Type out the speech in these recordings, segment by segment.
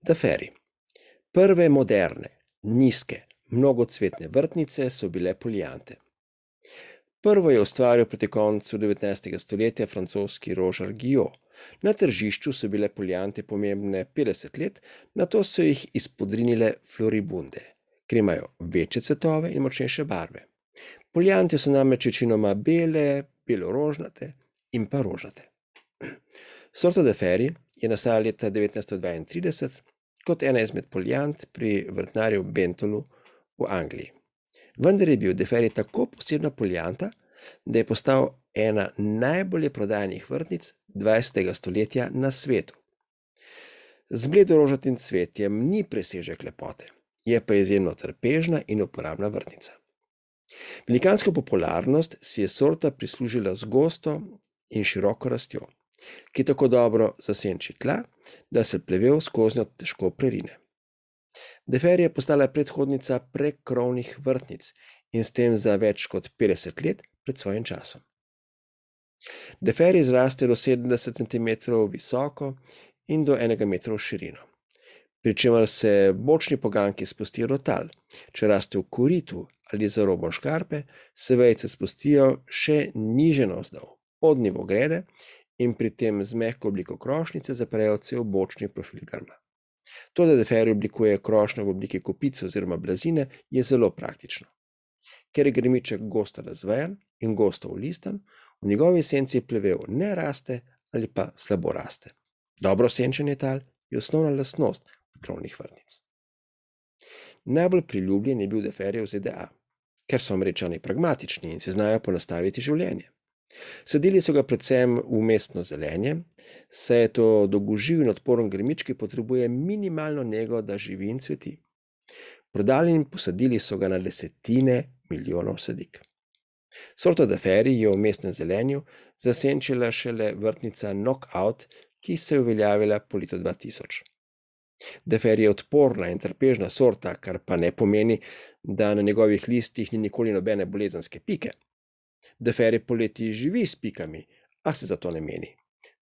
Daferi. Prve moderne, nizke, mnogocvetne vrtnice so bile poliante. Prvo je ustvaril proti koncu 19. stoletja francoski Roger Guillot. Na tržišču so bile poliante pomembne 50 let, nato so jih izpodrinile floribunde, ker imajo večje cvetove in močnejše barve. Poliante so namreč večinoma bele, belorožnate in pa rožnate. Sorta Deferi je nastala leta 1932 kot ena izmed poliant pri vrtnarju Bentolu v Angliji. Vendar je bil Deferi tako posebna polianta, da je postal ena najbolje prodajanih vrtnic 20. stoletja na svetu. Z bledorožnatim cvetjem ni presežek lepote, je pa izjemno trpežna in uporabna vrtnica. Velikansko popularnost si je sorta prislužila z gosto in široko rastjo, ki tako dobro zasenči tla, da se plevel skoznjo težko prerine. Deferi je postala predhodnica prekrovnih vrtnic in s tem za več kot 50 let pred svojim časom. Deferi zraste do 70 cm visoko in do 1 metra v širino, pri čemer se bočni poganjki spustijo do tal. Če raste v koritu ali za robom škarpe, se vejice spustijo še niže navzdol, pod nivo grede, in pri tem z mehko obliko krošnjice zaprejo cel bočni profil grma. To, da Deferi oblikuje krošnjo v obliki kopice oziroma blazine, je zelo praktično. Ker je grmiček gosto razvejan in gosto olistan, v njegovi esenci plevel ne raste ali pa slabo raste. Dobro senčenje tal je osnovna lastnost prekrovnih vrtnic. Najbolj priljubljen je bil Deferi v ZDA, ker so Američani pragmatični in si znajo ponastaviti življenje. Sadili so ga predvsem v mestno zelenje, saj je to dolgoživ in odporen grmič, ki potrebuje minimalno nego, da živi in cveti. Prodali in posadili so ga na desetine milijonov sadik. Sorto Deferi je v mestnem zelenju zasenčila šele vrtnica Knockout, ki se je uveljavila po letu 2000. Deferi je odporna in trpežna sorta, kar pa ne pomeni, da na njegovih listih ni nikoli nobene bolezenske pike. Deferi poleti živi s pikami, a se zato ne meni.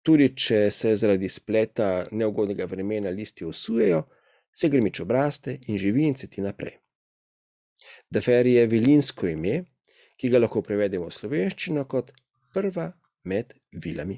Tudi če se zaradi spleta neugodnega vremena listi osujejo, se grmič obraste in živi in cveti naprej. Deferi je vilinsko ime, ki ga lahko prevedemo v slovenščino kot prva med vilami.